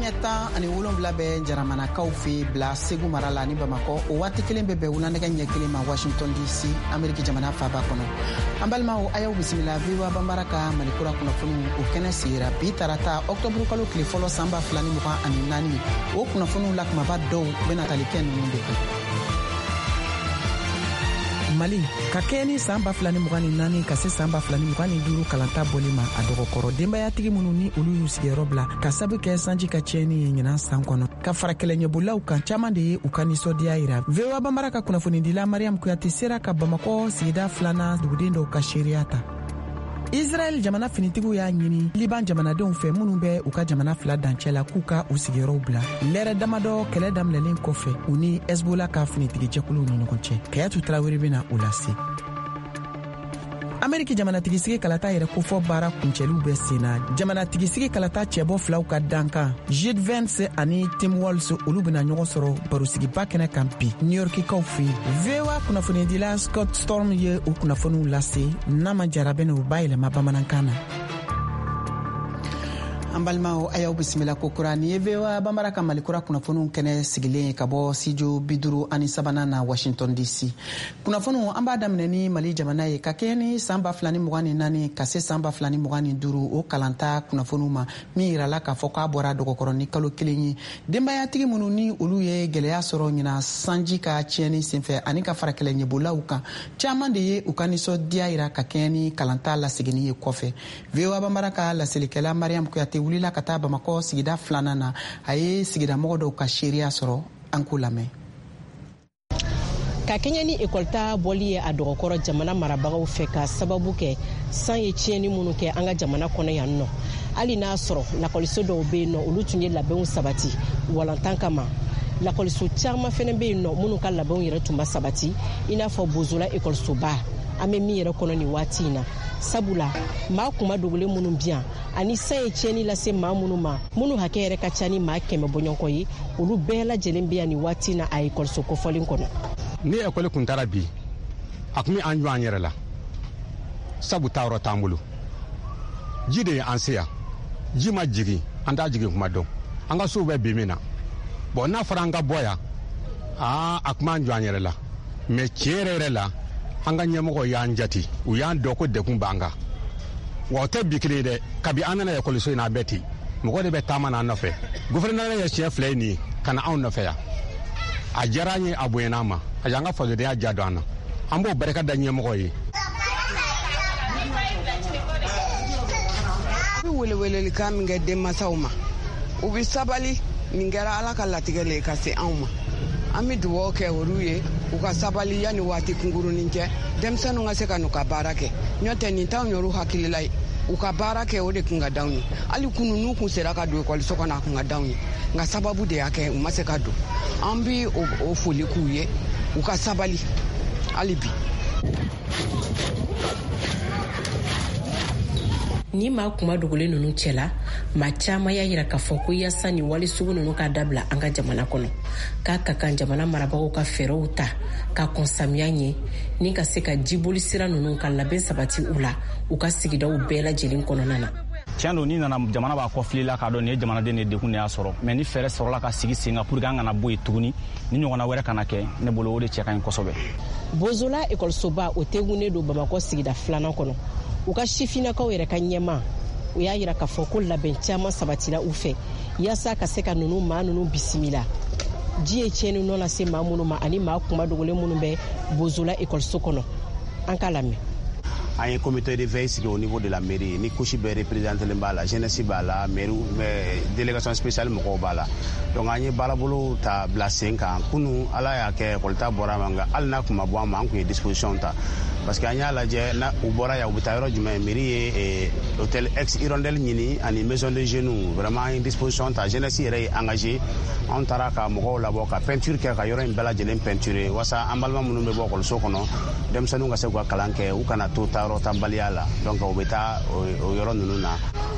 Ɲɛ 17 bɛ Jaramanakaw fɛ bila Segu mara la ni Bamakɔ. O waati kelen bɛ bɛn wulanɛgɛ ɲɛ 1 ma Washington DC, Ameriki jamana faba kɔnɔ. An balimaw, a y'aw bisimila VOA Banbara ka Malikura kunnafoniw o kɛnɛ sigira bi tarata ɔktɔburu kalo tile fɔlɔ san 2024. O kunnafoniw la kumaba dɔw bɛna tali kɛ ninnu de kan. Mali, ka kɛɲɛ ni san 2024 ka se san 2025 kalanta bɔli ma a dɔgɔkɔrɔ, denbayatigi minnu ni olu y'u sigiyɔrɔ bila ka sabu kɛ sanji ka tiɲɛni ye ɲinan san kɔnɔ ka fara kɛlɛɲɛbolilaw kan, caaman de ye u ka nisɔndiya yira. VOA Banbara ka kunnafonidila Mariam Kuyate sera ka Bamakɔ sigida filanan duguden dɔw ka seereya ta. Israɛl jamana finitigiw y'a ɲini Liban jamanadenw fɛ minnu bɛ u ka jamana fila dancɛ la k'u ka u sigiyɔrɔw bila lɛrɛ damadɔ kɛlɛ daminɛlen kɔfɛ u ni Hezbollah ka finitigijɛkuluw ni ɲɔgɔn cɛ. Kayatu Tarawele bɛna o lase. Ameriki jamanatigisigi kalata yɛrɛ kofɔ baara kuncɛliw bɛ sen na. Jamanatigisigi kalata cɛbɔ filaw ka dankan JD Vance ani Tim Walz, olu bɛna ɲɔgɔn sɔrɔ barosigiba kɛnɛ kan bi New Yorkikaw fɛ yen. VOA kunnafonidila Scott Storm ye o kunnafoniw lase. Nama Jara bɛna o bayɛlɛma bamanankan na. An balimaw, a y'aw bisimila kokura. Nin ye VOA Banbara ka Malikura kunnafoniw kɛnɛ sigilen ye ka bɔ studio 53nan na Washington DC. Kunnafoniw, an b'a daminɛ ni Mali jamana ye. Ka kɛɲɛ ni san 2024 ka se san 2025 o kalanta kunnafoniw ma, min yirala k'a fɔ k'a bɔra dɔgɔkɔrɔ ni kalo 1 ye, denbayatigi minnu ni olu ye gwɛlɛya sɔrɔ ɲina sanji ka tiɲɛni senfɛ ani ka fara kɛlɛɲɛbolaw kan, caaman de ye u ka nisɔndiya yira ka kɛɲɛ ni kalanta laseginni ye kɔfɛ. VOA Banbara ka laselikɛla Mariam Kuyate wulila ka taa Bamakɔ sigida filanan na. A ye sigidamɔgɔ dɔw ka seereya sɔrɔ. An k'o lamɛn. Ka kɛɲɛ ni ekɔlita bɔli ye a dɔgɔkɔrɔ jamana marabagaw fɛ ka sababu kɛ san ye tiɲɛni minnu kɛ an ka jamana kɔnɔ yan nɔ, hali n'a sɔrɔ lakɔliso dɔw bɛ yen nɔ, olu tun ye labɛnw sabati walantan kama, lakɔliso caman fɛnɛ bɛ yen nɔ minnu ka labɛnw yɛrɛ tun ma sabati, i n'a fɔ Bozola ekɔlisoba an bɛ min yɛrɛ kɔnɔ nin waati in na, sabula maa kuma dogolen minnu bi yan ani san ye tiɲɛni lase maa minnu ma, minnu hakɛ yɛrɛ ka ca ni maa 100 bɔɲɔgɔn ye, olu bɛɛ lajɛlen bɛ yan nin waati in na a ekɔliso kofɔlen kɔnɔ. Ni ekɔli kun taara bi, a kun bɛ an jɔ an yɛrɛ la, sabu taayɔrɔ t'an bolo. Ji de ye an se yan. Ji ma jigin, an t'a jigin kuma dɔn. An ka sow bɛ bi min na bɔn, n'a fɔra an ka bɔ yan, aa, a kun b'an jɔ an yɛrɛ la. Mɛ tiɲɛ yɛrɛ yɛrɛ la, an ka ɲɛmɔgɔw y'an jate, u y'an dɔn ko degun b'an kan. Wa o tɛ bi kelen ye dɛ, kabi an nana ekɔliso in na, a bɛɛ ten. Mɔgɔ de bɛ taama n'an nɔfɛ. Gouvernement ye siɲɛ 2 ye nin ye ka na anw nɔfɛ yan. A diyara an ye, a bonyana an ma, a y'an ka fasodenya ja don an na. An b'o barika da ɲɛmɔgɔ ye. An bɛ welewelelikan min kɛ denmansaw ma, u bɛ sabali. Nin kɛra Ala ka latigɛ le ye ka se anw ma. An bɛ dugawu kɛ olu ye, u ka sabali yanni waati kunkurunin cɛ, denmisɛnninw ka se ka n'u ka baara kɛ. N'o tɛ, nin t'anw yɛrɛw hakilila ye. U ka baara kɛ, o de kun ka d'anw ye. Hali kunu, n'u kun sera ka don ekɔliso kɔnɔ, a kun ka d'anw ye, nka sababu de y'a kɛ u ma se ka don. An bi o foli k'u ye, u ka sabali hali bi. Ni maa kuma dogolen ninnu cɛla, maa caman y'a yira k'a fɔ ko yaasa nin wale sugu ninnu ka dabila an ka jamana kɔnɔ, k'a ka kan jamana marabagaw ka fɛɛrɛw ta ka kɔn samiya ɲɛ ni ka se ka jiboli sira ninnu ka labɛn sabati u la u ka sigidaw bɛɛ lajɛlen kɔnɔna na. Tiɲɛ don, n'i nana jamana b'a kɔ fili la k'a dɔn nin ye jamanaden de dekun de y'a sɔrɔ. Mɛ ni fɛɛrɛ sɔrɔla ka sigi sen kan pour que an kana bɔ yen tuguni, ni ɲɔgɔnna wɛrɛ kana kɛ, ne bolo o de cɛ ka ɲi kosɛbɛ. Bozola ekɔlisoba o tegunnen don Bamakɔ sigida filanan kɔnɔ. U ka sifinnakaw yɛrɛ ka ɲɛma, u y'a yira k'a fɔ ko labɛn caman sabatira u fɛ yaasa ka se ka nunu maa nunu bisimila, ji ye tiɲɛni nɔ lase maa minnu ma ani maa kuma dogolen minnu bɛ Bozola ekɔliso kɔnɔ. An k'a lamɛn. An ye comité de veille sigi au niveau de la mairie, ni couche bɛɛ représenté b'a la, jeunesse b'a la, mairie, délégation spéciale mɔgɔw b'a la. Donc an ye baarabolo ta bila sen kan. Kunu, Ala y'a kɛ ekɔlita bɔra ma, nka hali n'a kun ma bɔ an ma, an kun ye disposition ta, parce que an y'a lajɛ na u bɔra yan, u bɛ taa yɔrɔ jumɛn? Mairie ye hôtel ex Hirondelle ɲini ani maison de jeunes. Vraiment, an ye disposition ta, jeunesse yɛrɛ ye engagé. Anw taara ka mɔgɔw labɔ ka peinture kɛ, ka yɔrɔ in bɛɛ lajɛlen peinture, wasa an balima minnu bɛ bɔ ekɔliso kɔnɔ, denmisɛnninw ka se k'u ka kalan kɛ, u kana to taayɔrɔ tanbaliya la. Donc u bɛ taa o yɔrɔ ninnu na.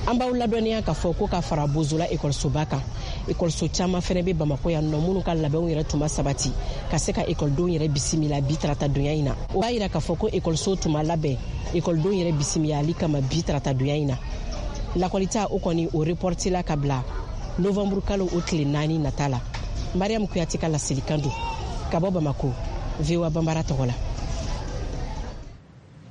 An b'aw ladɔnniya k'a fɔ ko ka fara Bozola ekɔlisoba kan, ekɔliso caman fɛnɛ bɛ Bamakɔ yan nɔ minnu ka labɛnw yɛrɛ tun ma sabati ka se ka ekɔlidenw yɛrɛ bisimila bi tarata donya in na. O b'a yira k'a fɔ ko ekɔliso tun ma labɛn ekɔlidenw yɛrɛ bisimilali kama bi tarata donya in na. Lakɔlita o kɔni o reportila ka bila Novembre kalo o tile 4 nata la. Mariam Kuyate ka laselikan don ka bɔ Bamako, VOA Banbara tɔgɔ la.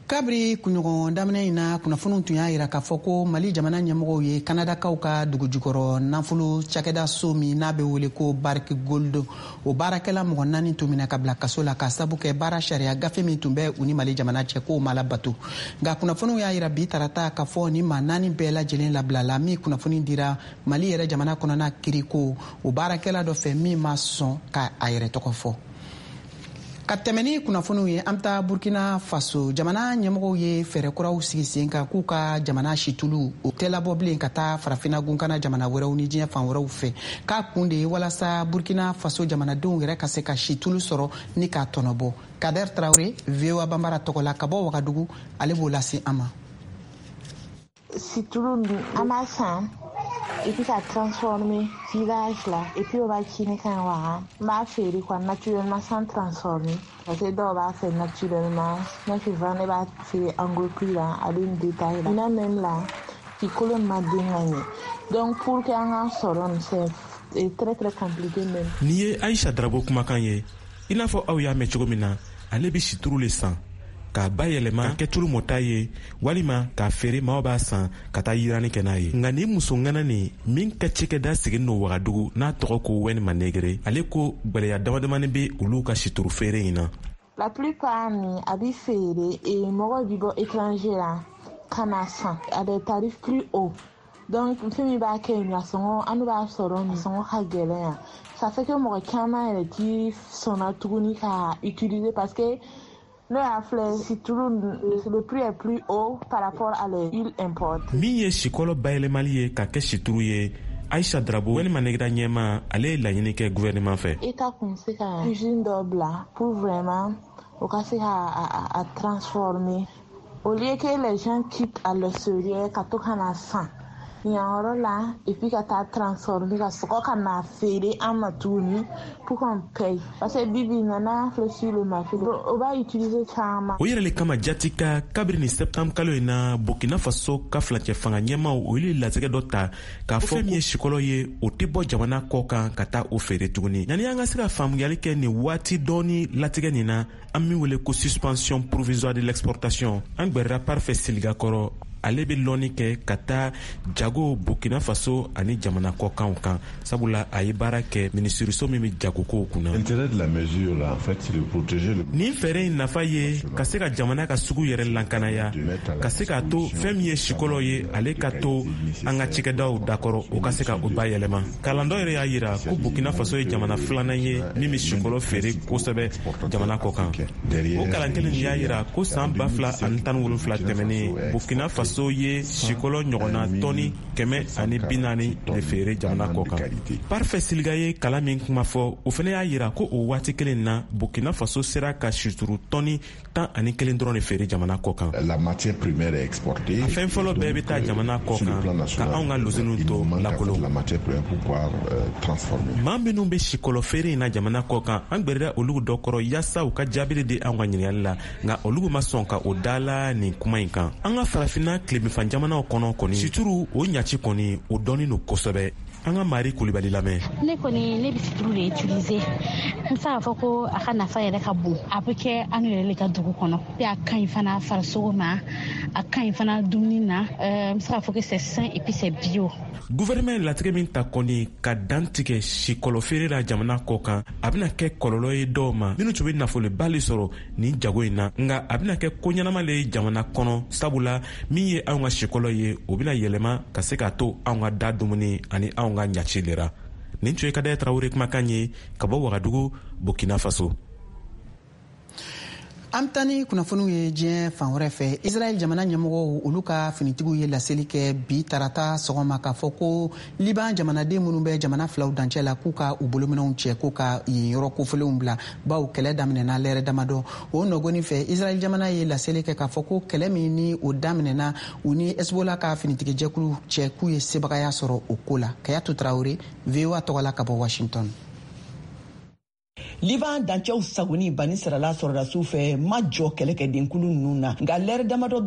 Kabiri kunɲɔgɔn daminɛ in na, kunnafoniw tun y'a yira k'a fɔ ko Mali jamana ɲɛmɔgɔw ye Kanadakaw ka dugujukɔrɔ nafolo cakɛda so min n'a bɛ wele ko Barrick Gold, o baarakɛla mɔgɔ 4 tun minɛ ka bila kaso la, k'a sabu kɛ baara sariya gafe min tun bɛ u ni Mali jamana cɛ, k'o ma labato. Nka kunnafoniw y'a yira bi tarata k'a fɔ ni maa 4 bɛɛ lajɛlen labilala, min kunnafoni dira Mali yɛrɛ jamana kɔnɔna kiriko o baarakɛla dɔ fɛ min ma sɔn ka a yɛrɛ tɔgɔ fɔ. Ka tɛmɛ ni kunnafoniw ye, an bɛ taa Burkina Faso. Jamana ɲɛmɔgɔw ye fɛɛrɛ kuraw sigi sen kan k'u ka jamana situlu o tɛ labɔ bilen ka taa Farafina gunkana jamana wɛrɛw ni diɲɛ fan wɛrɛw fɛ, k'a kun de ye walasa Burkina Faso jamanadenw yɛrɛ ka se ka situlu sɔrɔ ni k'a tɔnɔbɔ. Kader Traore, VOA Banbara tɔgɔ la ka bɔ Wagadugu, ale b'o lase an ma. Situlu an b'a san et puis ka transformer village la, et puis o b'a ci ne kan wa n b'a feere quoi, naturellement, sans transformer, parce que dɔw b'a fɛ naturellement. Ne souvent ne b'a feere en gros prix la, a bɛ nin détail la ɲinan même la kolo ma den ka ɲɛ. Donc pour que an ka sɔrɔ nin, c'est très très compliqué même. Nin ye Aisha Darabo kumakan ye. I n'a fɔ aw y'a mɛn cogo min na, ale bɛ situru le san k'a bayɛlɛma kɛ tulu mɔta ye walima k'a feere, maaw b'a san ka taa yiranni kɛ n'a ye. Nka nin muso ŋana nin min ka cikɛda sigin no Wagadugu, n'a tɔgɔ ko Wɛni Manegere, ale ko gwɛlɛya damadamani be olu ka situru feere in na. La plupart ni a bi feere et mɔgɔw bi bɔ étranger la ka na san à des tarifs plus hauts. Donc fɛn min b'a kɛ yen, a sɔngɔ an b'a sɔrɔ nin sɔngɔ ka gɛlɛn yan. Ça fait que mɔgɔ caman yɛrɛ ti sɔnna tuguni ka utiliser, parce que n'o y'a filɛ situlu, le prix est plus haut par rapport à l'huile importée. Min ye sikɔlɔ bayɛlɛmali ye ka kɛ situru ye, Aisha Drabo walima Negeda ɲɛma, ale ye laɲini kɛ gouvernement fɛ. État kun se ka usine dɔ bila pour vraiment o ka se ka a transformer, au lieu que les gens quittent à l'extérieur ka to ka na san yan yɔrɔ la et puis ka taa transformer ka sɔgɔ ka na feere an ma tuguni pour qu'on paye, parce que bibi nana filɛ sur le marché, o b'a utiliser caman. O yɛrɛ le kama jati ka kabiri ni septembre kalo in na, Burkina Faso ka filancɛ fanga ɲɛmaw, olu ye latigɛ dɔ ta k'a fɔ fɛn min ye sikɔlɔ ye, o tɛ bɔ jamana kɔ kan ka taa o feere tuguni. Yanni an ka se ka faamuyali kɛ nin waati dɔɔni latigɛ nin na, an min wele ko suspension provisoire de l'exportation, an gwɛrɛra Parfait Siligakɔrɔ. Ale bɛ lɔnni kɛ ka taa jago Burkina Faso ani jamana kɔkanw kan, sabula a ye baara kɛ minisiriso min bɛ jagokow kunna. Nin fɛɛrɛ in nafa ye ka se ka jamana ka sugu yɛrɛ lankanaya, ka se k'a to fɛn min ye sikɔlɔ ye, ale ka to an ka cikɛdaw dakɔrɔ, o ka se ka o bayɛlɛma. Kalan dɔ yɛrɛ y'a yira ko Burkina Faso ye jamana filanan ye min bɛ sikɔlɔ feere kosɛbɛ jamana kɔ kan. O kalan kelen y'a yira ko san 2017 tɛmɛnen, Burkina Faso ye sikɔlɔ ɲɔgɔnna tɔni 140 de feere jamana kɔ kan. Parfait Siliga ye kalan min kuma fɔ, o fana y'a yira ko o waati kelen na, Burkina Faso sera ka situru tɔni 11 dɔrɔn de feere jamana kɔ kan. A fɛn fɔlɔ bɛɛ bɛ taa jamana kɔ kan ka anw ka loziniw to lakolon. Maa minnu bɛ sikɔlɔ feere in na jamana kɔ kan, an gwɛrɛra olu dɔ kɔrɔ yaasa u ka jaabili di anw ka ɲininkali la, nka olu ma sɔn ka o da la nin kuma in kan. An ka Farafinna tilebinfan jamanaw kɔnɔ kɔni, situru o ɲaci kɔni, o dɔɔnin don kosɛbɛ. An ka Mari Kulibali lamɛn. Ne kɔni, ne bɛ situru de utiliser. N bɛ se k'a fɔ ko a ka nafa yɛrɛ ka bon. A bɛ kɛ an yɛrɛ le ka dugu kɔnɔ, a ka ɲi fana farisogo ma, a ka ɲi fana dumuni na. N bɛ se k'a fɔ que c'est sain et puis c'est bio. Gouvernement ye latigɛ min ta kɔni ka dan tigɛ sikɔlɔ feere la jamana kɔ kan, a bɛna kɛ kɔlɔlɔ ye dɔw ma minnu tun bɛ nafoloba le sɔrɔ nin jago in na, nka a bɛna kɛ ko ɲɛnama le ye jamana kɔnɔ, sabula min ye anw ka sikɔlɔ ye, o bɛna yɛlɛma ka se k'a to anw ka da dumuni ani anw ka ɲaci lera. Nin tun ye Kadɛ Tarawele kumakan ye ka bɔ Wagadugu, Burkina Faso. An bɛ taa ni kunnafoniw ye diɲɛ fan wɛrɛ fɛ. Israɛl jamana ɲɛmɔgɔw, olu ka finitigiw ye laseli kɛ bi tarata sɔgɔma k'a fɔ ko Liban jamanaden minnu bɛ jamana filaw dancɛ la, k'u ka u bolominɛw cɛ, k'u ka yen yɔrɔ kofɔlenw bila, bawo kɛlɛ daminɛna lɛrɛ damadɔ. O nɔgɔni fɛ, Israɛl jamana ye laseli kɛ k'a fɔ ko kɛlɛ min ni o daminɛna u ni Hezbollah ka finitigijɛkulu cɛ, k'u ye sebagaya sɔrɔ o ko la. Kayatu Tarawele, VOA tɔgɔ la ka bɔ Washington. Liban dancɛw sagoni banisirala sɔrɔdasiw fɛ ma jɔ kɛlɛkɛdenkulu ninnu na, nka lɛrɛ damadɔ.